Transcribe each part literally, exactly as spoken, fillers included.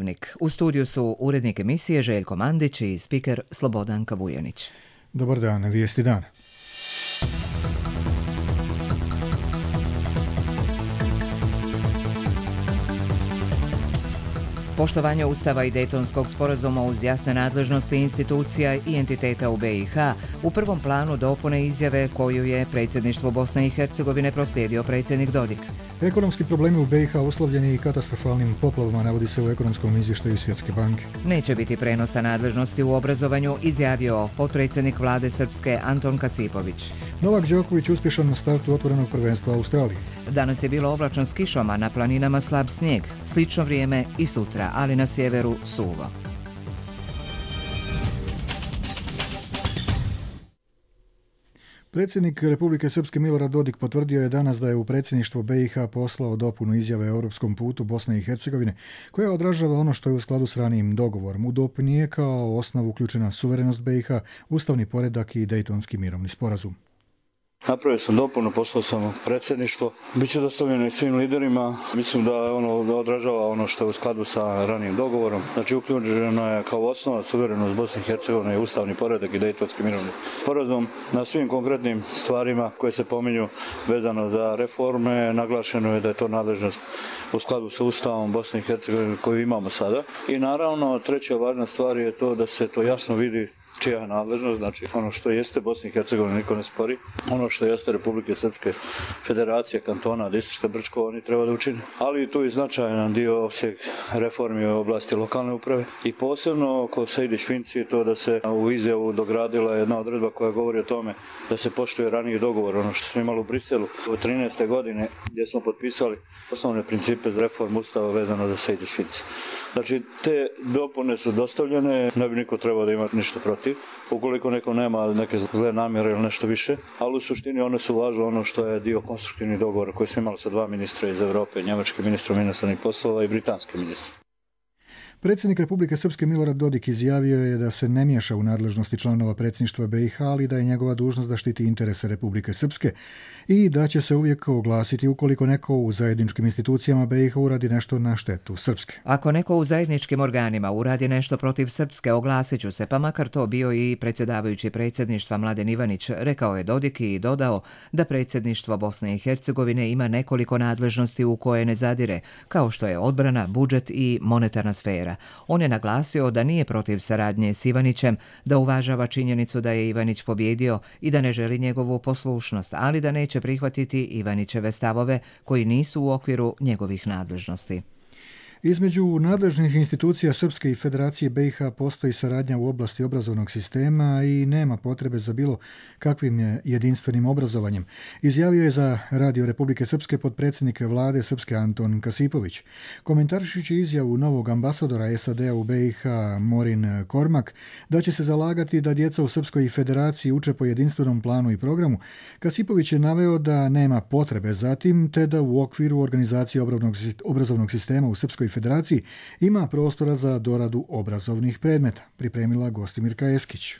Dnevnik. U studiju su urednik emisije Željko Mandić i spiker Slobodanka Vujanić. Dobar dan, vijesti dana. Poštovanje Ustava i Dejtonskog sporazuma uz jasne nadležnosti institucija i entiteta u be i ha u prvom planu dopune izjave koju je predsjedništvo Bosne i Hercegovine proslijedio predsjednik Dodik. Ekonomski problemi u be i ha uslovljeni i katastrofalnim poplavama, navodi se u ekonomskom izvještaju Svjetske banke. Neće biti prenosa nadležnosti u obrazovanju, izjavio potpredsjednik vlade Srpske Anton Kasipović. Novak Đoković uspješan na startu otvorenog prvenstva Australije. Danas je bilo oblačno s kišom, a na planinama slab snijeg. Slično vrijeme i sutra, ali na sjeveru suvo. Predsjednik Republike Srpske Milorad Dodik potvrdio je danas da je u predsjedništvo be i ha poslao dopunu izjave o europskom putu Bosne i Hercegovine, koja odražava ono što je u skladu s ranijim dogovorom. U dopuni je kao osnovu uključena suverenost be i ha, ustavni poredak i Dejtonski mirovni sporazum. Napravio sam dopunu, poslao sam predsjedništvo. Biće dostavljeno i svim liderima. Mislim da ono odražava ono što je u skladu sa ranijim dogovorom. Znači uključeno je kao osnova suverenost Bosne i Hercegovine i ustavni poredak i Dejtonski mirovni sporazum. Na svim konkretnim stvarima koje se pominju vezano za reforme, naglašeno je da je to nadležnost u skladu sa Ustavom Bosne i Hercegovine koju imamo sada. I naravno treća važna stvar je to da se to jasno vidi čija je nadležnost, znači ono što jeste Bosna i Hercegovina niko ne spori, ono što jeste Republike Srpske Federacije, kantona, distrikta Brčko, oni treba da učine. Ali i tu je značajan dio opseg reformi u oblasti lokalne uprave i posebno oko Sejdić-Finci je to da se u izjavu dogradila jedna odredba koja govori o tome da se poštuje raniji dogovor, ono što smo imali u Briselu od trinaeste godine gdje smo potpisali osnovne principe za reformu Ustava vezano za Sejdić-Finci. Znači te dopune su dostavljene, ne bi niko trebao da ima ništa protiv. Ukoliko neko nema neke zle namjere ili nešto više, ali u suštini one su važne ono što je dio konstruktivnih dogovora koji smo imali sa dva ministra iz Europe, njemački ministar inostranih poslova i britanski ministar. Predsjednik Republike Srpske Milorad Dodik izjavio je da se ne miješa u nadležnosti članova predsjedništva be i ha, ali da je njegova dužnost da štiti interese Republike Srpske i da će se uvijek oglasiti ukoliko neko u zajedničkim institucijama be i ha uradi nešto na štetu Srpske. Ako neko u zajedničkim organima uradi nešto protiv Srpske, oglasit ću se, pa makar to bio i predsjedavajući predsjedništva Mladen Ivanić, rekao je Dodik i dodao da predsjedništvo Bosne i Hercegovine ima nekoliko nadležnosti u koje ne zadire, kao što je odbrana, budžet i monetarna sfera. On je naglasio da nije protiv saradnje s Ivanićem, da uvažava činjenicu da je Ivanić pobjedio i da ne želi njegovu poslušnost, ali da neće prihvatiti Ivanićeve stavove koji nisu u okviru njegovih nadležnosti. Između nadležnih institucija Srpske i Federacije be i ha postoji saradnja u oblasti obrazovnog sistema i nema potrebe za bilo kakvim jedinstvenim obrazovanjem, izjavio je za Radio Republike Srpske potpredsjednik vlade Srpske Anton Kasipović. Komentarišući izjavu novog ambasadora es a de a u be i ha Morin Kormak da će se zalagati da djeca u Srpskoj Federaciji uče po jedinstvenom planu i programu, Kasipović je naveo da nema potrebe za tim, te da u okviru organizacije obrazovnog sistema u Srpskoj Federaciji ima prostora za doradu obrazovnih predmeta, pripremila Gostimirka Eskić.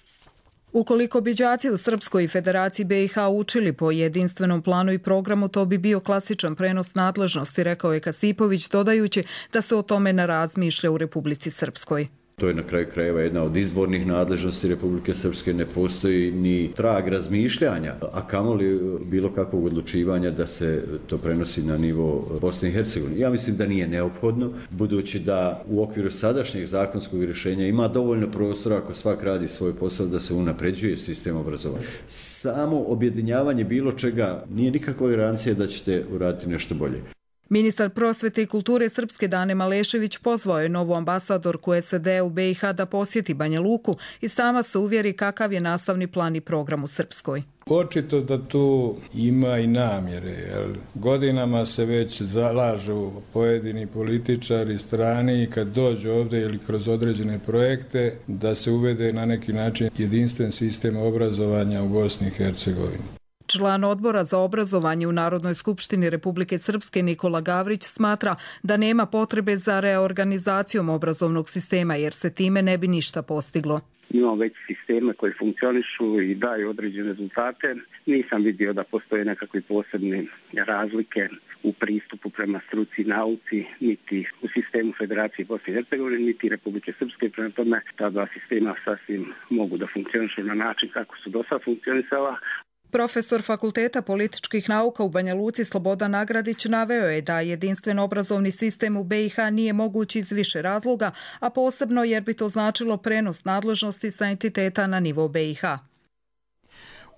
Ukoliko bi đaci u Srpskoj Federaciji be i ha učili po jedinstvenom planu i programu, to bi bio klasičan prenos nadležnosti, rekao je Kasipović, dodajući da se o tome ne razmišlja u Republici Srpskoj. To je na kraju krajeva jedna od izvornih nadležnosti Republike Srpske, ne postoji ni trag razmišljanja, a kamoli bilo kakvog odlučivanja da se to prenosi na nivo Bosne i Hercegovine. Ja mislim da nije neophodno, budući da u okviru sadašnjeg zakonskog rješenja ima dovoljno prostora ako svak radi svoj posao da se unapređuje sistem obrazovanja. Samo objedinjavanje bilo čega nije nikakva garancija da ćete uraditi nešto bolje. Ministar prosvete i kulture Srpske Dane Malešević pozvao je novu ambasadorku es a de a u be i ha da posjeti Banja Luku i sama se uvjeri kakav je nastavni plan i program u Srpskoj. Očito da tu ima i namjere, jer godinama se već zalažu pojedini političari strani i kad dođu ovdje ili kroz određene projekte da se uvede na neki način jedinstven sistem obrazovanja u Bosni i Hercegovini. Član odbora za obrazovanje u Narodnoj skupštini Republike Srpske Nikola Gavrić smatra da nema potrebe za reorganizacijom obrazovnog sistema jer se time ne bi ništa postiglo. Imamo već sisteme koji funkcionišu i daju određene rezultate. Nisam vidio da postoje nekakve posebne razlike u pristupu prema struci i nauci, niti u sistemu Federacije Bosne i Hercegovine, niti Republike Srpske. Prema tome, ta dva sistema sasvim mogu da funkcionišu na način kako su do sada funkcionisala. Profesor Fakulteta političkih nauka u Banja Luci Slobodan Nagradić naveo je da jedinstven obrazovni sistem u B i H nije moguć iz više razloga, a posebno jer bi to značilo prenos nadležnosti sa entiteta na nivo B i H.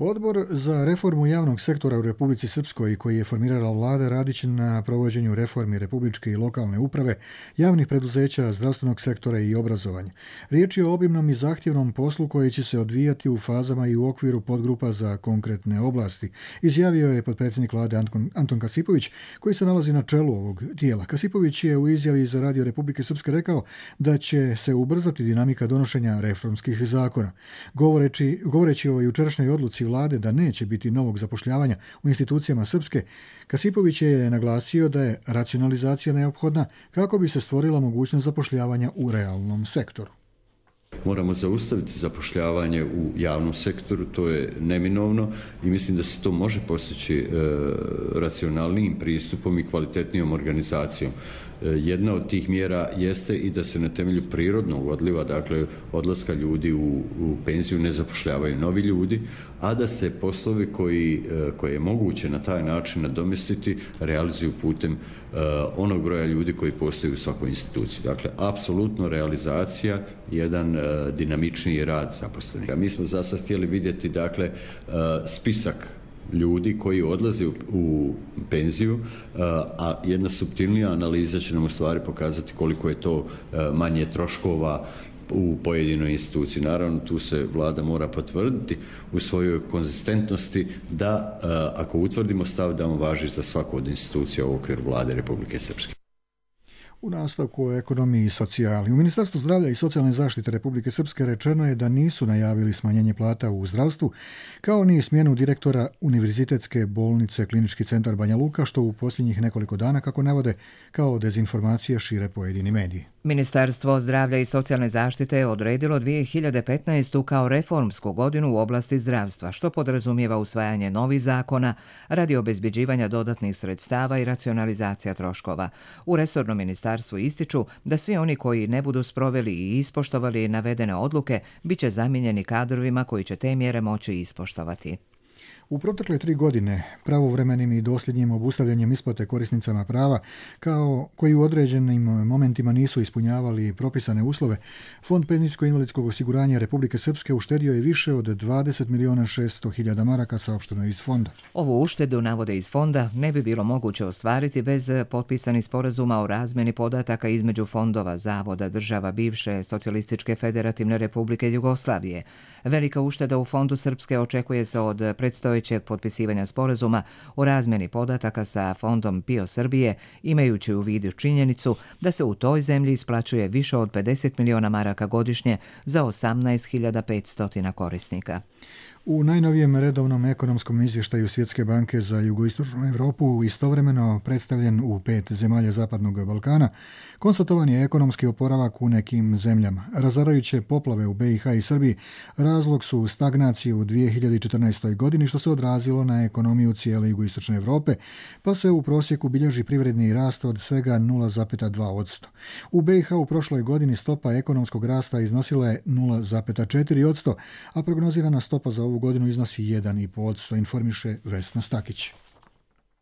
Odbor za reformu javnog sektora u Republici Srpskoj, koji je formirala vlada, radit će na provođenju reformi republičke i lokalne uprave, javnih preduzeća, zdravstvenog sektora i obrazovanja. Riječ je o obimnom i zahtjevnom poslu koji će se odvijati u fazama i u okviru podgrupa za konkretne oblasti, izjavio je potpredsjednik vlade Anton, Anton Kasipović, koji se nalazi na čelu ovog tijela. Kasipović je u izjavi za Radio Republike Srpske rekao da će se ubrzati dinamika donošenja reformskih zakona. Govoreći, govoreći o jučerašnjoj odluci vlade da neće biti novog zapošljavanja u institucijama Srpske, Kasipović je naglasio da je racionalizacija neophodna kako bi se stvorila mogućnost zapošljavanja u realnom sektoru. Moramo zaustaviti zapošljavanje u javnom sektoru, to je neminovno i mislim da se to može postići e, racionalnijim pristupom i kvalitetnijom organizacijom. E, jedna od tih mjera jeste i da se na temelju prirodnog odliva, dakle odlaska ljudi u, u penziju, ne zapošljavaju novi ljudi, a da se poslovi koji, e, koje je moguće na taj način nadomjestiti realizuju putem e, onog broja ljudi koji postoji u svakoj instituciji. Dakle, apsolutno realizacija, jedan e, dinamičniji rad zaposlenih. Mi smo za sad htjeli vidjeti, dakle, e, spisak ljudi koji odlaze u, u penziju, a jedna suptilnija analiza će nam u stvari pokazati koliko je to manje troškova u pojedinoj instituciji. Naravno, tu se vlada mora potvrditi u svojoj konzistentnosti da, ako utvrdimo stav, da on važi za svaku od institucija u okviru vlade Republike Srpske. U nastavku o ekonomiji i socijali. U Ministarstvu zdravlja i socijalne zaštite Republike Srpske rečeno je da nisu najavili smanjenje plata u zdravstvu, kao ni smjenu direktora Univerzitetske bolnice Klinički centar Banja Luka, što u posljednjih nekoliko dana, kako navode, kao dezinformacije šire pojedini mediji. Ministarstvo zdravlja i socijalne zaštite je odredilo dvije hiljade petnaestu. kao reformsku godinu u oblasti zdravstva, što podrazumijeva usvajanje novih zakona radi obezbeđivanja dodatnih sredstava i racionalizacija troškova. U resornom ministarstvu ističu da svi oni koji ne budu sproveli i ispoštovali navedene odluke bit će zamijenjeni kadrovima koji će te mjere moći ispoštovati. U protekle tri godine pravovremenim i dosljednjim obustavljanjem isplate korisnicama prava, kao koji u određenim momentima nisu ispunjavali propisane uslove, Fond penzijsko-invalidskog osiguranja Republike Srpske uštedio je više od dvadeset milijuna šesto hiljada maraka, saopšteno iz fonda. Ovu uštedu, navode iz fonda, ne bi bilo moguće ostvariti bez potpisanih sporazuma o razmjeni podataka između fondova, zavoda, država bivše Socijalističke federativne Republike Jugoslavije. Velika ušteda u Fondu Srpske očekuje se od predstojećeg potpisivanja sporazuma o razmjeni podataka sa Fondom P I O Srbije, imajući u vidu činjenicu da se u toj zemlji isplaćuje više od pedeset milijuna maraka godišnje za osamnaest hiljada petsto korisnika. U najnovijem redovnom ekonomskom izvještaju Svjetske banke za jugoistočnu Europu, istovremeno predstavljen u pet zemalja Zapadnog Balkana, konstatovan je ekonomski oporavak u nekim zemljama. Razarajuće poplave u B i H i Srbiji razlog su stagnacije u dvije hiljade četrnaestoj. godini, što se odrazilo na ekonomiju cijele jugoistočne Europe, pa se u prosjeku bilježi privredni rast od svega nula zarez dva posto. U B i H u prošloj godini stopa ekonomskog rasta iznosila je nula zarez četiri posto, a prognozirana stopa za ovu godinu iznosi jedan zarez pet posto, informiše Vesna Stakić.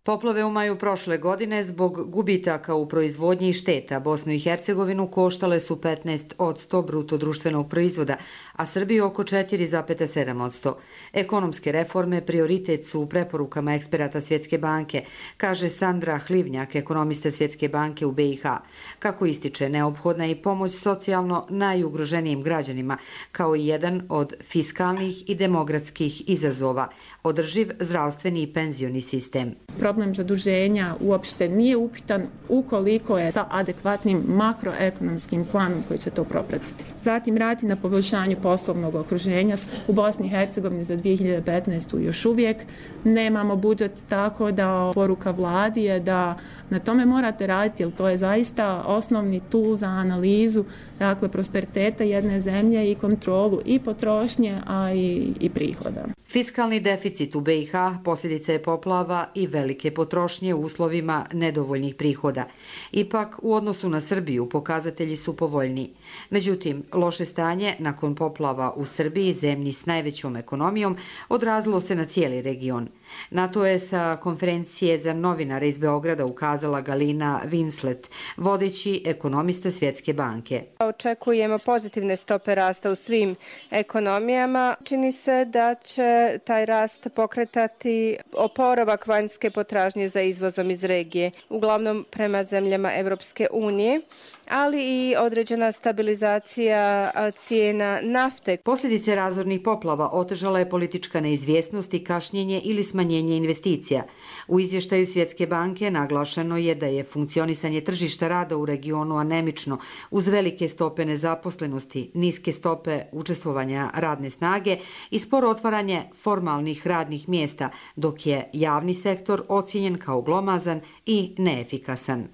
Poplave u maju prošle godine zbog gubitaka u proizvodnji i šteta Bosnu i Hercegovinu koštale su petnaest posto bruto društvenog proizvoda, a Srbiju oko četiri zarez sedam posto. Ekonomske reforme prioritet su u preporukama eksperata Svjetske banke, kaže Sandra Hlivnjak, ekonomista Svjetske banke u B i H. Kako ističe, neophodna je i pomoć socijalno najugroženijim građanima, kao i jedan od fiskalnih i demografskih izazova, održiv zdravstveni i penzioni sistem. Problem zaduženja uopšte nije upitan ukoliko je sa adekvatnim makroekonomskim planom koji će to propratiti. Zatim raditi na poboljšanju poslovnog okruženja. U Bosni i Hercegovini za dvije hiljade petnaestu. još uvijek nemamo budžet, tako da poruka vladi je da na tome morate raditi, jer to je zaista osnovni tool za analizu, dakle, prosperiteta jedne zemlje i kontrolu i potrošnje, a i, i prihoda. Fiskalni deficit u B i H posljedica je poplava i velike visoke potrošnje u uslovima nedovoljnih prihoda. Ipak, u odnosu na Srbiju pokazatelji su povoljniji. Međutim, loše stanje nakon poplava u Srbiji, zemlji s najvećom ekonomijom, odrazilo se na cijeli region. Na to je sa konferencije za novinare iz Beograda ukazala Galina Winslet, vodeći ekonomista Svjetske banke. Očekujemo pozitivne stope rasta u svim ekonomijama. Čini se da će taj rast pokretati oporavak vanjske potražnje za izvozom iz regije, uglavnom prema zemljama Evropske unije, ali i određena stabilizacija cijena nafte. Posljedice razornih poplava otežala je politička neizvjesnost i kašnjenje ili smanjenje investicija. U izvještaju Svjetske banke naglašeno je da je funkcionisanje tržišta rada u regionu anemično, uz velike stope nezaposlenosti, niske stope učestvovanja radne snage i sporo otvaranje formalnih radnih mjesta, dok je javni sektor ocijenjen kao glomazan i neefikasan.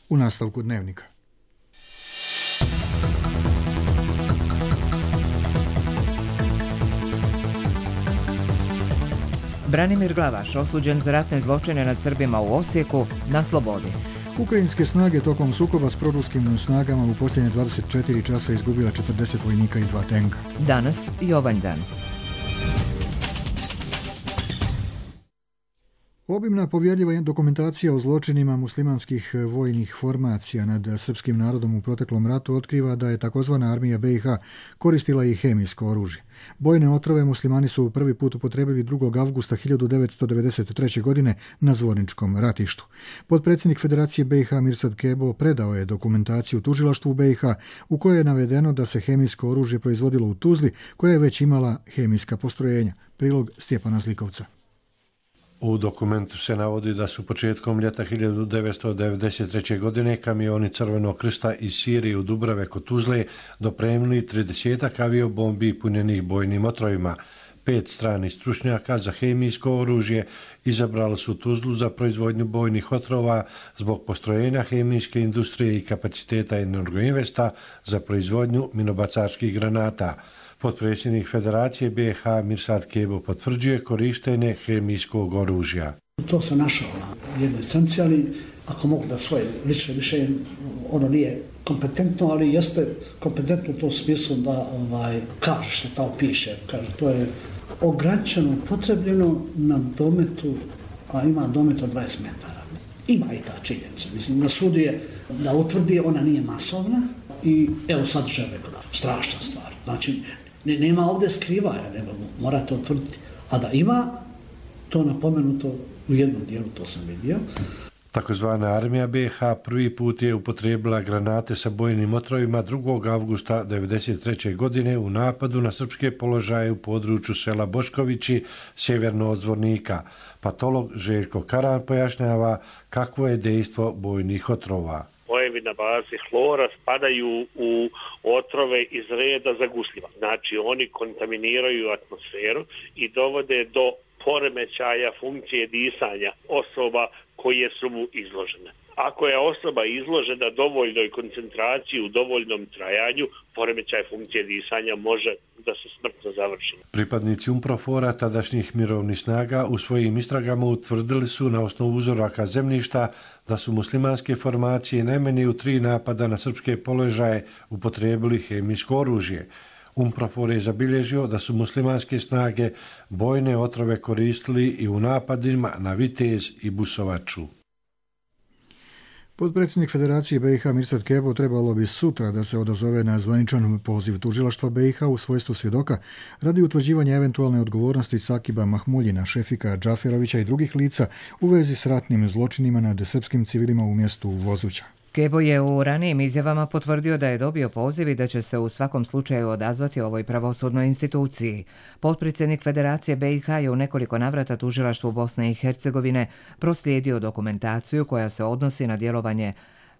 U nastavku dnevnika. Branimir Glavaš, osuđen za ratne zločine nad Srbima u Osijeku, na slobodi. Ukrajinske snage tokom sukoba s proruskim snagama u posljednje dvadeset četiri časa izgubila četrdeset vojnika i dva tenka. Danas Jovan dan. Obimna povjerljiva dokumentacija o zločinima muslimanskih vojnih formacija nad srpskim narodom u proteklom ratu otkriva da je takozvana armija B i H koristila i hemijsko oružje. Bojne otrove muslimani su prvi put upotrijebili drugog avgusta hiljadu devetsto devedeset treće. godine na Zvorničkom ratištu. Potpredsjednik Federacije B i H Mirsad Kebo predao je dokumentaciju tužilaštvu B i H u kojoj je navedeno da se hemijsko oružje proizvodilo u Tuzli, koja je već imala hemijska postrojenja. Prilog Stjepana Zlikovca. U dokumentu se navodi da su početkom ljeta hiljadu devetsto devedeset treće. godine kamioni Crvenog krsta iz Sirije u Dubrave kod Tuzle dopremili tridesetak aviobombi punjenih bojnim otrovima. Pet stranih stručnjaka za hemijsko oružje izabrali su Tuzlu za proizvodnju bojnih otrova zbog postrojenja hemijske industrije i kapaciteta Energoinvesta za proizvodnju minobacačkih granata. Potpredsjednik Federacije B i H Mirsad Kebo potvrđuje korištenje hemijskog oružja. To sam našao na jednoj stranici, ali ako mogu da svoje lične mišljenje, ono nije kompetentno, ali jeste kompetentno u tom smislu da ovaj, kaže što tamo piše. Kaže, to je ograničeno upotrebljeno na dometu, a ima domet od dvadeset metara. Ima i ta činjenica. Mislim, na sudu je da utvrdi, ona nije masovna i evo sadržaj rekao da strašna stvar. Znači, ne, nema ovdje skrivaja, nego morate utvrditi. A da ima, to napomenuto u jednom dijelu, to sam vidio. Takozvana armija B i H prvi put je upotrijebila granate sa bojnim otrovima drugog avgusta devedeset treće. godine u napadu na srpske položaje u području sela Boškovići, sjeverno od Zvornika. Patolog Željko Karan pojašnjava kakvo je dejstvo bojnih otrova. Spojevi na bazi hlora spadaju u otrove iz reda zagusljiva. Znači oni kontaminiraju atmosferu i dovode do poremećaja funkcije disanja osoba koje su mu izložene. Ako je osoba izložena dovoljnoj koncentraciji u dovoljnom trajanju, poremećaj funkcije disanja može da se smrtno završi. Pripadnici UNPROFOR-a tadašnjih mirovnih snaga u svojim istragama utvrdili su na osnovu uzoraka zemljišta da su muslimanske formacije najmanje u tri napada na srpske položaje upotrijebili hemijsko oružje. UNPROFOR je zabilježio da su muslimanske snage bojne otrove koristili i u napadima na Vitez i Busovaču. Potpredsjednik Federacije B i H Mirsad Kebo trebalo bi sutra da se odazove na zvaničan poziv tužilaštva B i H u svojstvu svjedoka radi utvrđivanja eventualne odgovornosti Sakiba Mahmuljina, Šefika Džaferovića i drugih lica u vezi s ratnim zločinima nad srpskim civilima u mjestu Vozuća. Kebo je u ranijim izjavama potvrdio da je dobio poziv i da će se u svakom slučaju odazvati ovoj pravosudnoj instituciji. Potpredsjednik Federacije B i H je u nekoliko navrata tužilaštvu Bosne i Hercegovine proslijedio dokumentaciju koja se odnosi na djelovanje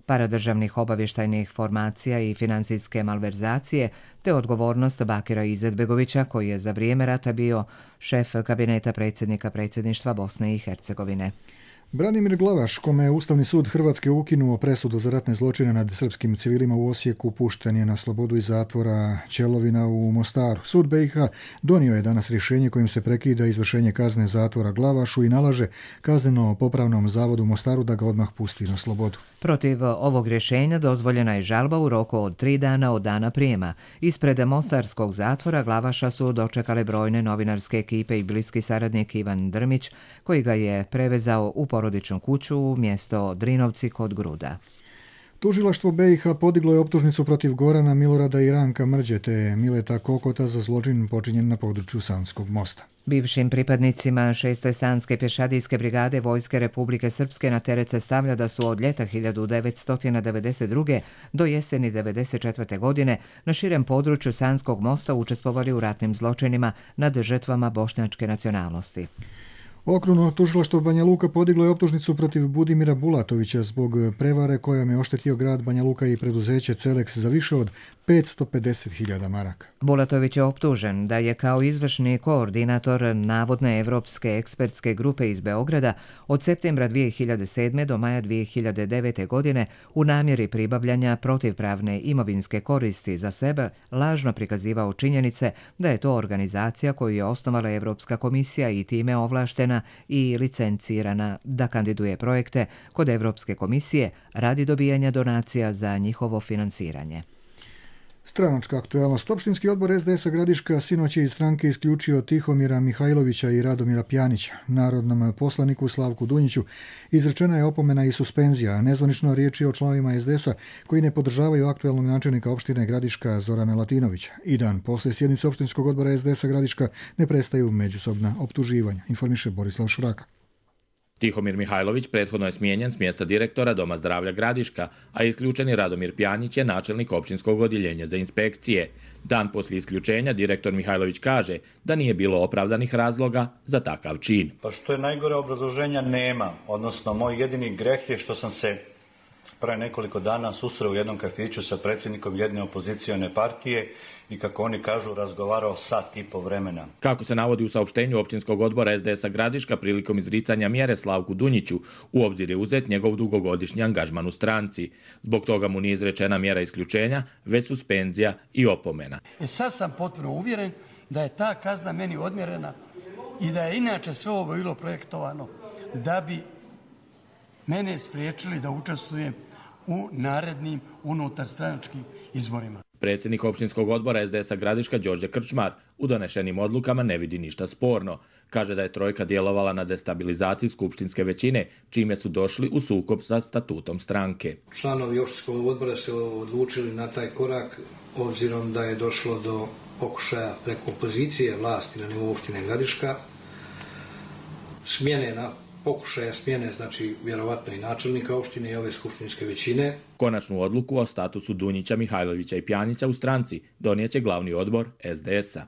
paradržavnih obavještajnih formacija i financijske malverzacije, te odgovornost Bakira Izetbegovića, koji je za vrijeme rata bio šef kabineta predsjednika predsjedništva Bosne i Hercegovine. Branimir Glavaš, kome je Ustavni sud Hrvatske ukinuo presudu za ratne zločine nad srpskim civilima u Osijeku, pušten je na slobodu iz zatvora Ćelovina u Mostaru. Sud B i H donio je danas rješenje kojim se prekida izvršenje kazne zatvora Glavašu i nalaže kazneno-popravnom zavodu u Mostaru da ga odmah pusti na slobodu. Protiv ovog rješenja dozvoljena je žalba u roku od tri dana od dana prijema. Ispred mostarskog zatvora Glavaša su dočekale brojne novinarske ekipe i bliski saradnik Ivan Drmić, koji ga je prevezao u porodičnu kuću u mjesto Drinovci kod Gruda. Tužilaštvo B i H podiglo je optužnicu protiv Gorana Milorada i Ranka Mrđe te Mileta Kokota za zločin počinjen na području Sanskog mosta. Bivšim pripadnicima šeste Sanske pješadijske brigade Vojske Republike Srpske na teret se stavlja da su od ljeta hiljadu devetsto devedeset druge. do jeseni devedeset četvrte. godine na širem području Sanskog mosta učestvovali u ratnim zločinima nad žrtvama bošnjačke nacionalnosti. Okruglo tužilaštvo Banja Luka podiglo je optužnicu protiv Budimira Bulatovića zbog prevare kojom je oštetio grad Banja Luka i preduzeće Celex za više od petsto pedeset hiljada maraka. Bulatović je optužen da je kao izvršni koordinator navodne evropske ekspertske grupe iz Beograda od septembra dvije hiljade sedme. do maja dvije hiljade devete. godine u namjeri pribavljanja protivpravne imovinske koristi za sebe lažno prikazivao činjenice da je to organizacija koju je osnovala Evropska komisija i time ovlaštena i licencirana da kandiduje projekte kod Evropske komisije radi dobijanja donacija za njihovo finansiranje. Stranačka aktualnost. Opštinski odbor S D S-a Gradiška sinoć je iz stranke isključio Tihomira Mihajlovića i Radomira Pjanića. Narodnom poslaniku Slavku Dunjiću izrečena je opomena i suspenzija, a nezvanično riječ je o članovima S D S-a koji ne podržavaju aktualnog načelnika opštine Gradiška Zorana Latinovića. I dan posle sjednice opštinskog odbora S D S-a Gradiška ne prestaju međusobna optuživanja, informiše Borislav Šuraka. Tihomir Mihajlović prethodno je smijenjen s mjesta direktora Doma zdravlja Gradiška, a isključeni Radomir Pjanić je načelnik općinskog odjeljenja za inspekcije. Dan poslije isključenja direktor Mihajlović kaže da nije bilo opravdanih razloga za takav čin. Pa što je najgore, obrazloženja nema, odnosno moj jedini greh je što sam se pre nekoliko dana susreo u jednom kafiću sa predsjednikom jedne opozicione partije i, kako oni kažu, razgovarao sat i po vremena. Kako se navodi u saopštenju općinskog odbora S D S-a Gradiška, prilikom izricanja mjere Slavku Dunjiću u obzir je uzet njegov dugogodišnji angažman u stranci. Zbog toga mu nije izrečena mjera isključenja, već suspenzija i opomena. I sad sam potpuno uvjeren da je ta kazna meni odmjerena i da je inače sve ovo bilo projektovano da bi mene spriječili da učestvujem u narednim unutarstranačkim izborima. Predsjednik općinskog odbora S D S-a Gradiška Đorđe Krčmar u donešenim odlukama ne vidi ništa sporno. Kaže da je trojka djelovala na destabilizaciji skupštinske većine, čime su došli u sukob sa statutom stranke. Članovi općinskog odbora se odlučili na taj korak obzirom da je došlo do pokušaja preko opozicije vlasti na nivou opštine Gradiška, smjene na pokušaja smjene, znači vjerovatno i načelnika opštine i ove skupštinske većine. Konačnu odluku o statusu Dunjića, Mihajlovića i Pjanića u stranci donijet će glavni odbor S D S-a.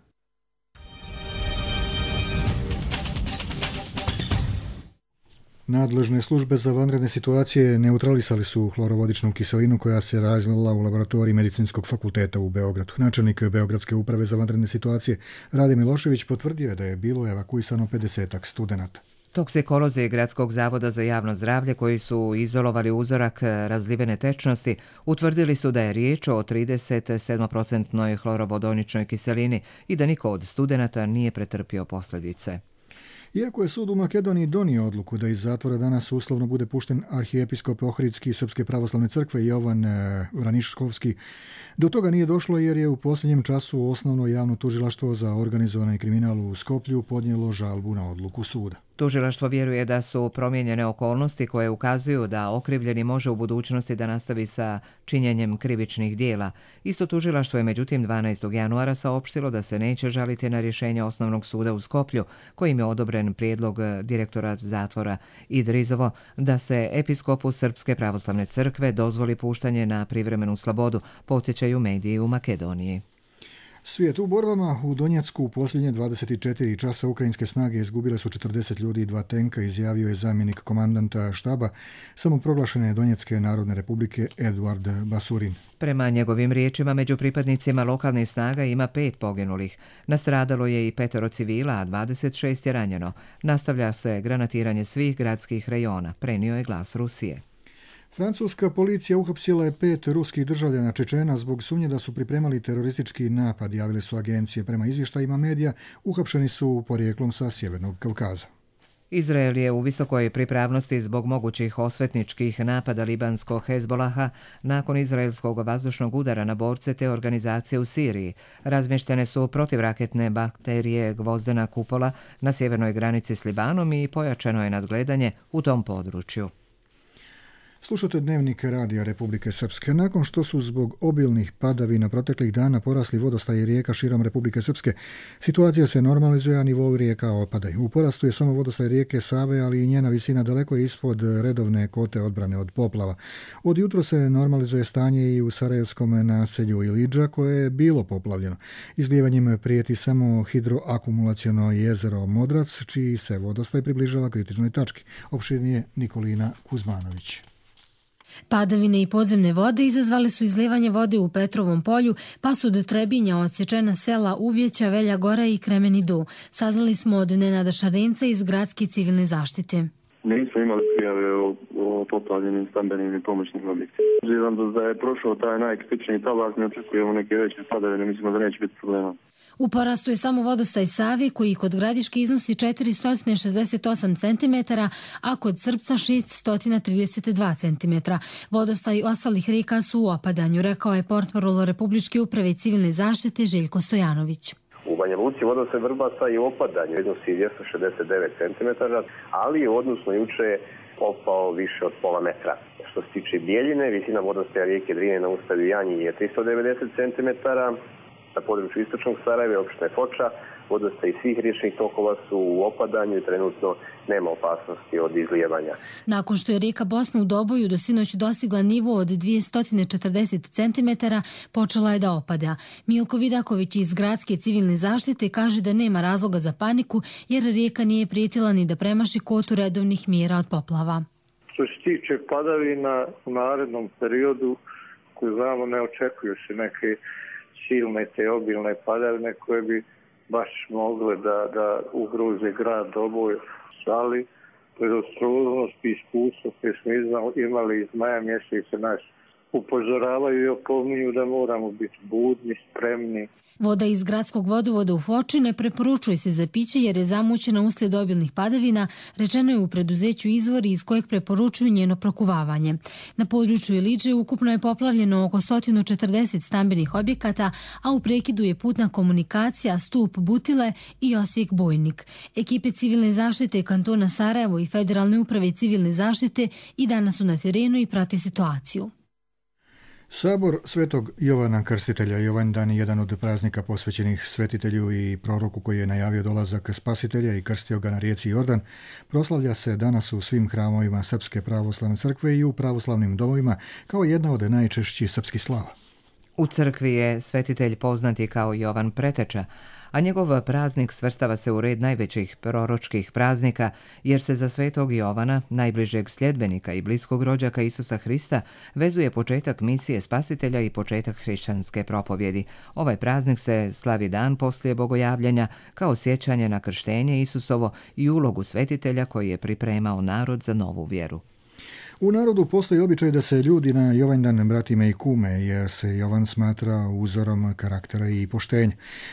Nadležne službe za vanredne situacije neutralisali su hlorovodičnu kiselinu koja se razlila u laboratoriji Medicinskog fakulteta u Beogradu. Načelnik Beogradske uprave za vanredne situacije Rade Milošević potvrdio je da je bilo evakuisano pedesetak studenata. Toksikolozi Gradskog zavoda za javno zdravlje koji su izolovali uzorak razlivene tečnosti utvrdili su da je riječ o trideset sedam posto hlorovodoničnoj kiselini i da niko od studenata nije pretrpio posljedice. Iako je sud u Makedoniji donio odluku da iz zatvora danas uslovno bude pušten arhijepiskop Ohridski Srpske pravoslavne crkve Jovan Vraniškovski, do toga nije došlo jer je u posljednjem času osnovno javno tužilaštvo za organizovani kriminal u Skoplju podnijelo žalbu na odluku suda. Tužilaštvo vjeruje da su promijenjene okolnosti koje ukazuju da okrivljeni može u budućnosti da nastavi sa činjenjem krivičnih dijela. Isto tužilaštvo je međutim dvanaestog januara saopštilo da se neće žaliti na rješenje osnovnog suda u Skoplju, kojim je odobren prijedlog direktora zatvora Idrizovo da se episkopu Srpske pravoslavne crkve dozvoli puštanje na privremenu slobodu, podsjećaju mediji u Makedoniji. Svijet u borbama. U Donjecku u posljednje dvadeset četiri časa ukrajinske snage izgubile su četrdeset ljudi i dva tenka, izjavio je zamjenik komandanta štaba samoproglašene Donjecke narodne republike Eduard Basurin. Prema njegovim riječima, među pripadnicima lokalnih snaga ima pet poginulih. Nastradalo je i petero civila, a dvadeset šest je ranjeno. Nastavlja se granatiranje svih gradskih rejona, prenio je Glas Rusije. Francuska policija uhapsila je pet ruskih državljana Čečena zbog sumnje da su pripremali teroristički napad, javile su agencije. Prema izvještajima medija, uhapšeni su porijeklom sa Sjevernog Kavkaza. Izrael je u visokoj pripravnosti zbog mogućih osvetničkih napada libanskog Hezbolaha nakon izraelskog vazdušnog udara na borce te organizacije u Siriji. Razmještene su protivraketne bakterije gvozdena kupola na sjevernoj granici s Libanom i pojačano je nadgledanje u tom području. Slušate Dnevnik Radija Republike Srpske. Nakon što su zbog obilnih padavina proteklih dana porasli vodostaji rijeka širom Republike Srpske, situacija se normalizuje, a nivou rijeka opadaju. U porastu je samo vodostaj rijeke Save, ali i njena visina daleko je ispod redovne kote odbrane od poplava. Od jutro se normalizuje stanje i u sarajevskom naselju Ilidža, koje je bilo poplavljeno. Izlijevanjem prijeti samo hidroakumulaciono jezero Modrac, čiji se vodostaj približava kritičnoj tački. Opširnije Nikolina Kuzmanović. Padavine i podzemne vode izazvale su izlijevanje vode u Petrovom polju, pa su do Trebinja odsječena sela Uvjeća, Velja Gora i Kremeni Do. Saznali smo od Nenada Šarenca iz Gradske civilne zaštite. Nismo imali prijave o, o poplavljenim stambenim i pomoćnim objektima. Obzirom da je prošao taj najkritičniji talak, ne očekujemo neke veće padavine, mislimo da neće biti problema. U porastu je samo vodostaj Save, koji kod Gradiške iznosi četiristo šezdeset osam centimetara, a kod Srpca šesto trideset dva centimetra. Vodostaj ostalih rijeka su u opadanju, rekao je portparol Republičke uprave civilne zaštite Željko Stojanović. U Banja Luci vodostaj Vrbasa je u opadanju, iznosi dvjesto šezdeset devet centimetara, ali odnosno juče je opao više od pola metra. Što se tiče Bijeljine, visina vodostaja rijeke Drine na ustaju Janji je tristo devedeset centimetara, na području istočnog Sarajeva, opštine Foča, vodostaj svih riječnih tokova su u opadanju i trenutno nema opasnosti od izlijevanja. Nakon što je rijeka Bosna u Doboju do sinoć dostigla nivo od dvjesto četrdeset centimetara, počela je da opada. Milko Vidaković iz Gradske civilne zaštite kaže da nema razloga za paniku, jer rijeka nije prijetila ni da premaši kotu redovnih mjera od poplava. Što se tiče padavina u narednom periodu, koju znamo, ne očekuju se neke silne te obilne padavine koje bi baš mogle da, da ugroze grad Doboj, ali predostrožnost i iskustvo koje smo imali iz maja mjeseca nas upozoravaju i opominju da moramo biti budni, spremni. Voda iz gradskog vodovoda u Foči ne preporučuje se za piće jer je zamućena uslijed obilnih padavina, rečeno je u preduzeću Izvori iz kojeg preporučuju njeno prokuvavanje. Na području Ilidže ukupno je poplavljeno oko sto četrdeset stambenih objekata, a u prekidu je putna komunikacija Stup Butile i Osijek Bojnik. Ekipe civilne zaštite kantona Sarajevo i Federalne uprave civilne zaštite i danas su na terenu i prate situaciju. Sabor Svetog Jovana Krstitelja. Jovandan je jedan od praznika posvećenih svetitelju i proroku koji je najavio dolazak Spasitelja i krstio ga na rijeci Jordan. Proslavlja se danas u svim hramovima Srpske pravoslavne crkve i u pravoslavnim domovima kao jedna od najčešćih srpskih slava. U crkvi je svetitelj poznati kao Jovan Preteča, a njegov praznik svrstava se u red najvećih proročkih praznika, jer se za svetog Jovana, najbližeg sljedbenika i bliskog rođaka Isusa Hrista, vezuje početak misije Spasitelja i početak hrišćanske propovjedi. Ovaj praznik se slavi dan poslije bogojavljenja kao sjećanje na krštenje Isusovo i ulogu svetitelja koji je pripremao narod za novu vjeru. U narodu postoji običaj da se ljudi na Jovandan bratime i kume, jer se Jovan smatra uzorom karaktera i poštenja.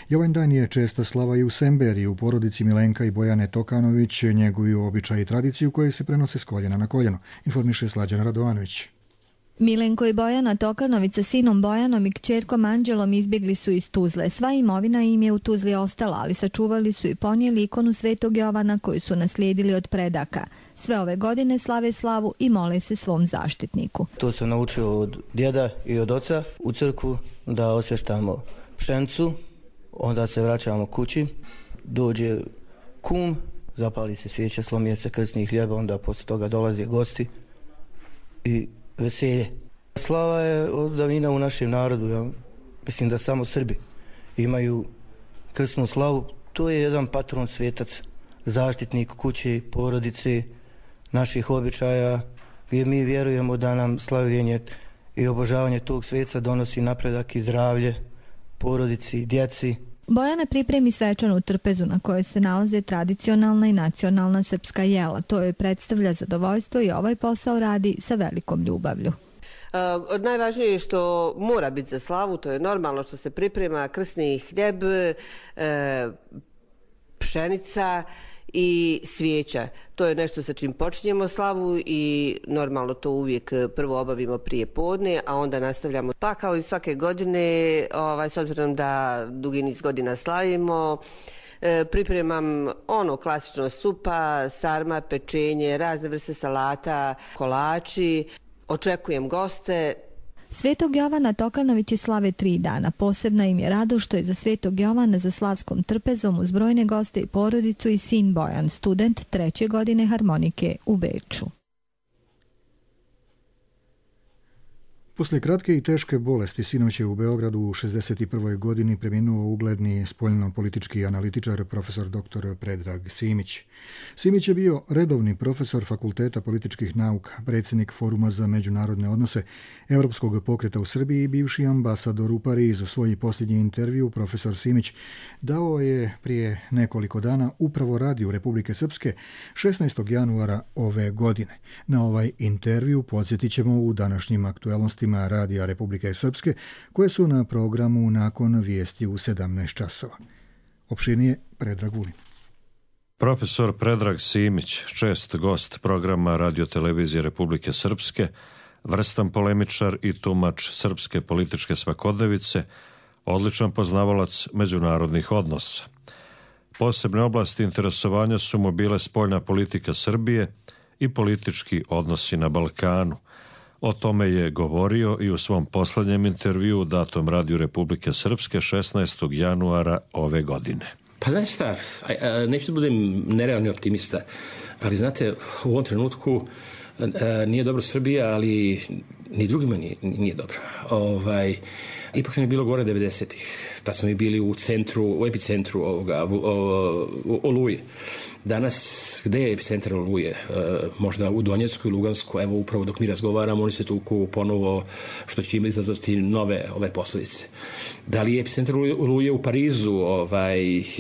Jovandan je česta slava i u Semberiji, u porodici Milenka i Bojane Tokanović njeguju običaj i tradiciju koje se prenose s koljena na koljeno, informiše Slađana Radovanović. Milenko i Bojana Tokanović sa sinom Bojanom i kćerkom Anđelom izbjegli su iz Tuzle. Sva imovina im je u Tuzli ostala, ali sačuvali su i ponijeli ikonu Svetog Jovana koju su naslijedili od predaka. Sve ove godine slave slavu i mole se svom zaštitniku. To sam naučio od djeda i od oca u crkvu, da osvještamo pšenicu, onda se vraćamo kući, dođe kum, zapali se svijeća, slomije se krsni hljeba, onda poslije toga dolaze gosti i veselje. Slava je od davnina u našem narodu, ja mislim da samo Srbi imaju krsnu slavu. To je jedan patron svetac, zaštitnik kuće, porodice, naših običaja, jer mi vjerujemo da nam slavljenje i obožavanje tog sveca donosi napredak i zdravlje porodici, djeci. Bojana pripremi svečanu trpezu na kojoj se nalaze tradicionalna i nacionalna srpska jela. To joj predstavlja zadovoljstvo i ovaj posao radi sa velikom ljubavlju. Uh, najvažnije je što mora biti za slavu, to je normalno što se priprema krsni hljeb, uh, pšenica i svijeća. To je nešto sa čim počinjemo slavu i normalno to uvijek prvo obavimo prije podne, a onda nastavljamo. Pa kao i svake godine, ovaj, s obzirom da dugi niz godina slavimo, e, pripremam ono klasično supa, sarma, pečenje, razne vrste salata, kolači, očekujem goste. Svetog Jovana Tokanovići slave tri dana. Posebna im je radost što je za Svetog Jovana za slavskom trpezom uz brojne goste i porodicu i sin Bojan, student treće godine harmonike u Beču. Poslije kratke i teške bolesti sinoć je u Beogradu u šezdeset prvoj godini preminuo ugledni spoljno-politički analitičar profesor doktor Predrag Simić. Simić je bio redovni profesor Fakulteta političkih nauka, predsjednik Foruma za međunarodne odnose Europskog pokreta u Srbiji i bivši ambasador u Parizu. Svoj posljednji intervju profesor Simić dao je prije nekoliko dana upravo radiju Republike Srpske šesnaestog januara ove godine. Na ovaj intervju podsjetit ćemo u današnjim aktuelnostima Radija Republike Srpske, koje su na programu nakon vijesti u sedamnaest časova. Opširnije Predrag Vulin. Profesor Predrag Simić, čest gost programa radiotelevizije Republike Srpske, vrstan polemičar i tumač srpske političke svakodnevice, odličan poznavalac međunarodnih odnosa. Posebne oblasti interesovanja su mu bile spoljna politika Srbije i politički odnosi na Balkanu. O tome je govorio i u svom posljednjem intervjuu datom Radiju Republike Srpske šesnaestog januara ove godine. Pa znate šta, neću da budem nerealni optimista, ali znate, u ovom trenutku nije dobro Srbija, ali ni drugima nije, nije dobro. Ovaj, ipak nam je bilo gore devedesetih. Tad smo mi bili u centru, u epicentru ovoga, u, u, Oluje. Danas, gde je epicentar Oluje? E, možda u Donjecku i Lugansku, evo upravo dok mi razgovaramo, oni se tuku ponovo, što će im izazvati nove ove posljedice. Da li je epicentar Oluje u Parizu, ovaj,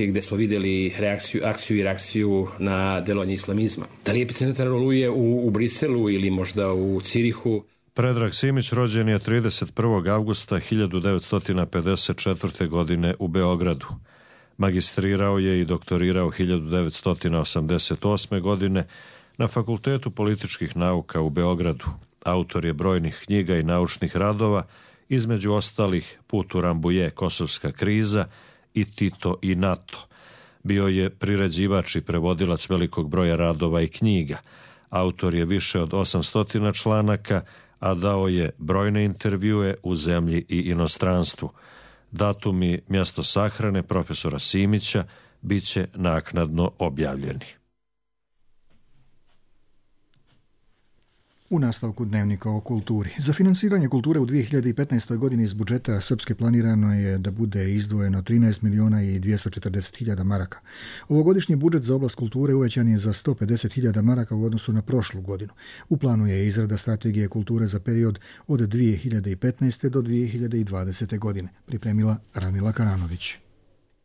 gde smo vidjeli reakciju, akciju i reakciju na delovanje islamizma? Da li je epicentar Oluje u, u Briselu ili možda u Cirihu? Predrag Simić rođen je trideset prvog avgusta hiljadu devetsto pedeset četvrte. godine u Beogradu. Magistrirao je i doktorirao hiljadu devetsto osamdeset osme. godine na Fakultetu političkih nauka u Beogradu. Autor je brojnih knjiga i naučnih radova, između ostalih Put u Rambuje, Kosovska kriza i Tito i NATO. Bio je priređivač i prevodilac velikog broja radova i knjiga. Autor je više od osamsto članaka, a dao je brojne intervjue u zemlji i inostranstvu. Datum i mjesto sahrane profesora Simića bit će naknadno objavljeni. U nastavku dnevnika o kulturi. Za finansiranje kulture u dvije hiljade petnaestoj. godini iz budžeta Srpske planirano je da bude izdvojeno trinaest miliona i dvjesto četrdeset hiljada maraka. Ovogodišnji budžet za oblast kulture uvećan je za sto pedeset hiljada maraka u odnosu na prošlu godinu. U planu je izrada strategije kulture za period od dvije hiljade petnaeste. do dvije hiljade dvadesete. godine, pripremila Ramila Karanović.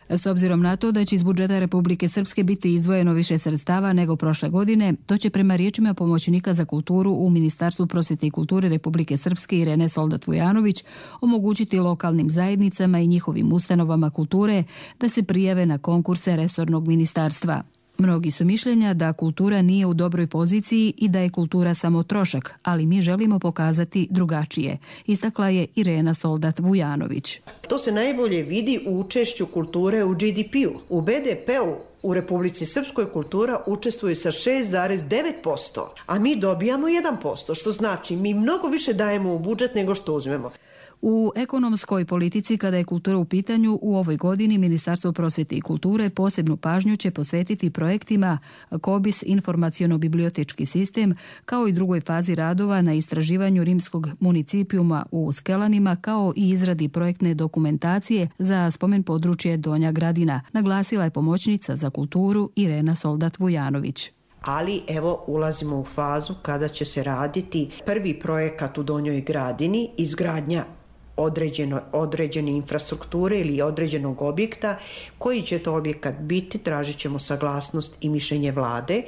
S obzirom na to da će iz budžeta Republike Srpske biti izdvojeno više sredstava nego prošle godine, to će prema riječima pomoćnika za kulturu u Ministarstvu prosvjete i kulture Republike Srpske Irene Soldat-Vujanović omogućiti lokalnim zajednicama i njihovim ustanovama kulture da se prijave na konkurse resornog ministarstva. Mnogi su mišljenja da kultura nije u dobroj poziciji i da je kultura samo trošak, ali mi želimo pokazati drugačije, istakla je Irena Soldat-Vujanović. To se najbolje vidi u učešću kulture u G D P-u. U B D P-u u Republici Srpskoj kultura učestvuje sa šest zarez devet posto, a mi dobijamo jedan posto, što znači mi mnogo više dajemo u budžet nego što uzmemo. U ekonomskoj politici, kada je kultura u pitanju, u ovoj godini Ministarstvo prosvjete i kulture posebnu pažnju će posvetiti projektima KOBIS informaciono-bibliotečki sistem, kao i drugoj fazi radova na istraživanju rimskog municipijuma u Skelanima, kao i izradi projektne dokumentacije za spomen područje Donja Gradina, naglasila je pomoćnica za kulturu Irena Soldat-Vujanović. Ali evo ulazimo u fazu kada će se raditi prvi projekat u Donjoj Gradini, izgradnja određeno, određene infrastrukture ili određenog objekta. Koji će to objekat biti, tražit ćemo saglasnost i mišljenje vlade.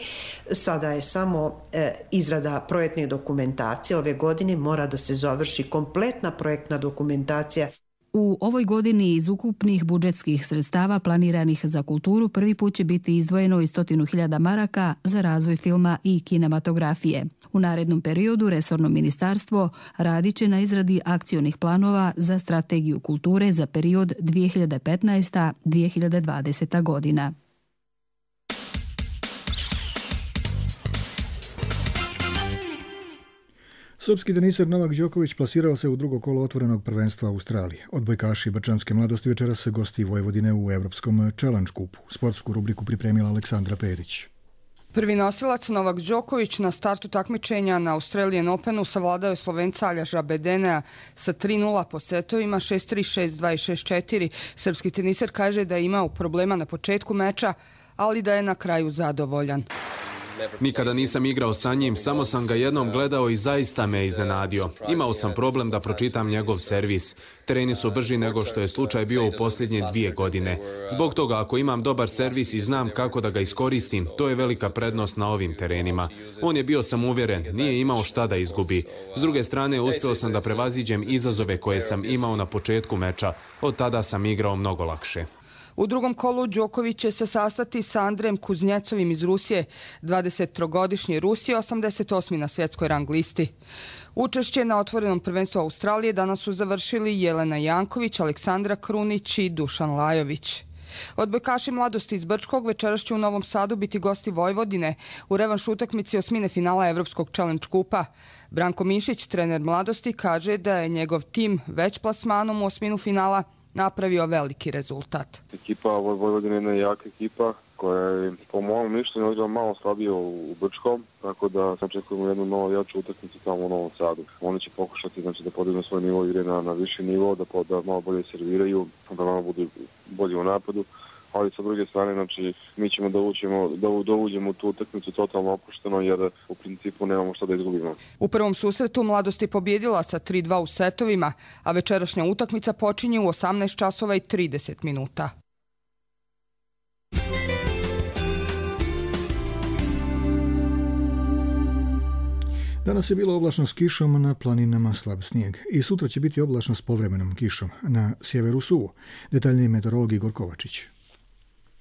Sada je samo e, izrada projektne dokumentacije. Ove godine mora da se završi kompletna projektna dokumentacija. U ovoj godini iz ukupnih budžetskih sredstava planiranih za kulturu prvi put će biti izdvojeno i stotinu hiljada maraka za razvoj filma i kinematografije. U narednom periodu resorno ministarstvo radit će na izradi akcionih planova za strategiju kulture za period dvije hiljade petnaesta do dvije hiljade dvadeseta godina. Srpski teniser Novak Đoković plasirao se u drugo kolo otvorenog prvenstva Australije. Odbojkaši Brčanske mladosti večeras se gosti Vojvodine u Evropskom Challenge Cupu. Sportsku rubriku pripremila Aleksandra Perić. Prvi nosilac Novak Đoković na startu takmičenja na Australian Openu savladao je Slovenca Aljaža Bedenea sa tri nula po setovima šest tri, šest dva i šest četiri. Srpski teniser kaže da je imao problema na početku meča, ali da je na kraju zadovoljan. Nikada nisam igrao sa njim, samo sam ga jednom gledao i zaista me iznenadio. Imao sam problem da pročitam njegov servis. Tereni su brži nego što je slučaj bio u posljednje dvije godine. Zbog toga, ako imam dobar servis i znam kako da ga iskoristim, to je velika prednost na ovim terenima. On je bio samouvjeren, nije imao šta da izgubi. S druge strane, uspeo sam da prevaziđem izazove koje sam imao na početku meča. Od tada sam igrao mnogo lakše. U drugom kolu Đoković će se sastati sa Andrejem Kuznjecovim iz Rusije, dvadesettrogodišnji Rusije, osamdeset osmi na svjetskoj rang listi. Učešće na otvorenom prvenstvu Australije danas su završili Jelena Janković, Aleksandra Krunić i Dušan Lajović. Odbojkaši mladosti iz Brčkog večeras će u Novom Sadu biti gosti Vojvodine u revanš utakmici osmine finala Evropskog Challenge Kupa. Branko Mišić, trener mladosti, kaže da je njegov tim već plasmanom u osminu finala napravio veliki rezultat. Ekipa Vojvodine je jedna jaka ekipa koja je po mojom mišljenju igrala malo slabije u Brčkom, tako da očekujemo jednu novu jaču utakmicu tamo u Novom Sadu. Oni će pokušati znači, da podignu svoj nivo igre na, na viši nivo, da, da malo bolje serviraju, da malo budu bolji u napadu. Ali sa druge strane, znači, mi ćemo da uđemo, da, da uđemo u tu utakmicu totalno opušteno, jer u principu nemamo šta da izgubimo. U prvom susretu mladost je pobjedila sa tri dva u setovima, a večerašnja utakmica počinje u osamnaest časova i trideset minuta. Danas je bilo oblačno s kišom, na planinama slab snijeg. I sutra će biti oblačno s povremenom kišom. Na sjeveru suvo. Detaljnije meteorolog Igor Kovačić.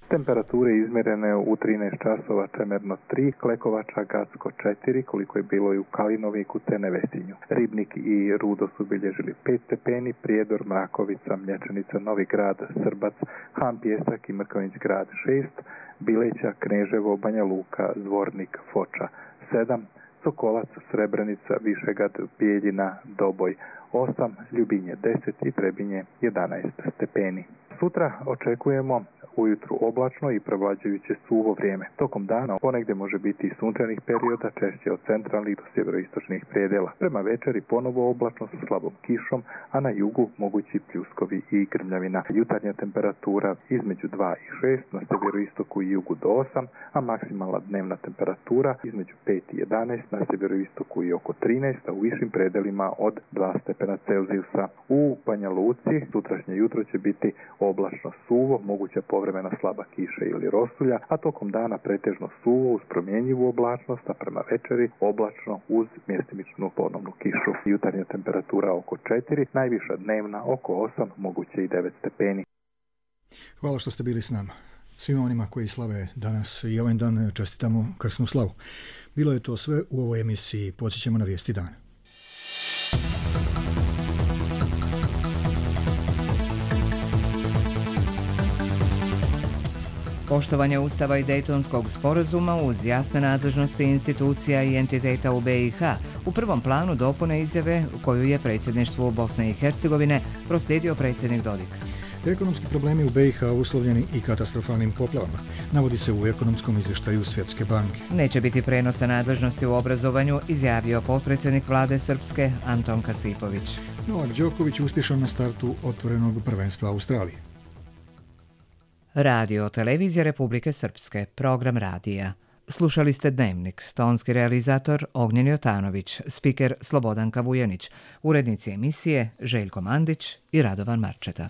Temperature izmjerene u trinaest časova Čemerno tri, Klekovača Gacko četiri, koliko je bilo i u Kalinoviku te Nevesinju. Ribnik i Rudo su bilježili pet stepeni, Prijedor, Mrakovica, Mlječanica, Novi Grad, Srbac, Han Pjesak i Mrkonjić Grad šest, Bileća, Kneževo, Banja Luka, Zvornik, Foča sedam, Sokolac, Srebrenica, Višegrad, Bijeljina, Doboj osam, Ljubinje deset i Trebinje jedanaest stepeni. Sutra očekujemo ujutru oblačno i prevlađujuće suvo vrijeme. Tokom dana ponegdje može biti i sunčanih perioda, češće od centralnih do sjeveroistočnih predela. Prema večeri ponovo oblačno sa slabom kišom, a na jugu mogući pljuskovi i grmljavina. Jutarnja temperatura između dva i šest, na sjeveroistoku i jugu do osam, a maksimalna dnevna temperatura između pet i jedanaest, na sjeveroistoku i oko trinaest, a u višim predelima od dva stepena Celzijusa. U Banja Luci sutrašnje jutro će biti oblačno suvo, moguća povremena slaba kiša ili rosulja, a tokom dana pretežno suvo uz promjenjivu oblačnost, a prema večeri oblačno uz mjestimičnu ponovnu kišu. Jutarnja temperatura oko četiri, najviša dnevna oko osam, moguće i devet stepeni. Hvala što ste bili s nama. Svima onima koji slave danas i ovaj dan čestitamo krsnu slavu. Bilo je to sve u ovoj emisiji. Podsjećamo na vijesti dana. Poštovanje Ustava i Dejtonskog sporazuma uz jasne nadležnosti institucija i entiteta u B i H u prvom planu dopune izjave koju je predsjedništvu Bosne i Hercegovine proslijedio predsjednik Dodik. Ekonomski problemi u B i H uslovljeni i katastrofalnim poplavama, navodi se u ekonomskom izvještaju Svjetske banke. Neće biti prenosa nadležnosti u obrazovanju, izjavio potpredsjednik vlade Srpske Anton Kasipović. Novak Đoković uspješan na startu otvorenog prvenstva Australije. Radio televizija Republike Srpske, program radija. Slušali ste Dnevnik, tonski realizator Ognjen Jotanović, spiker Slobodanka Vujanić, urednici emisije Željko Mandić i Radovan Marčeta.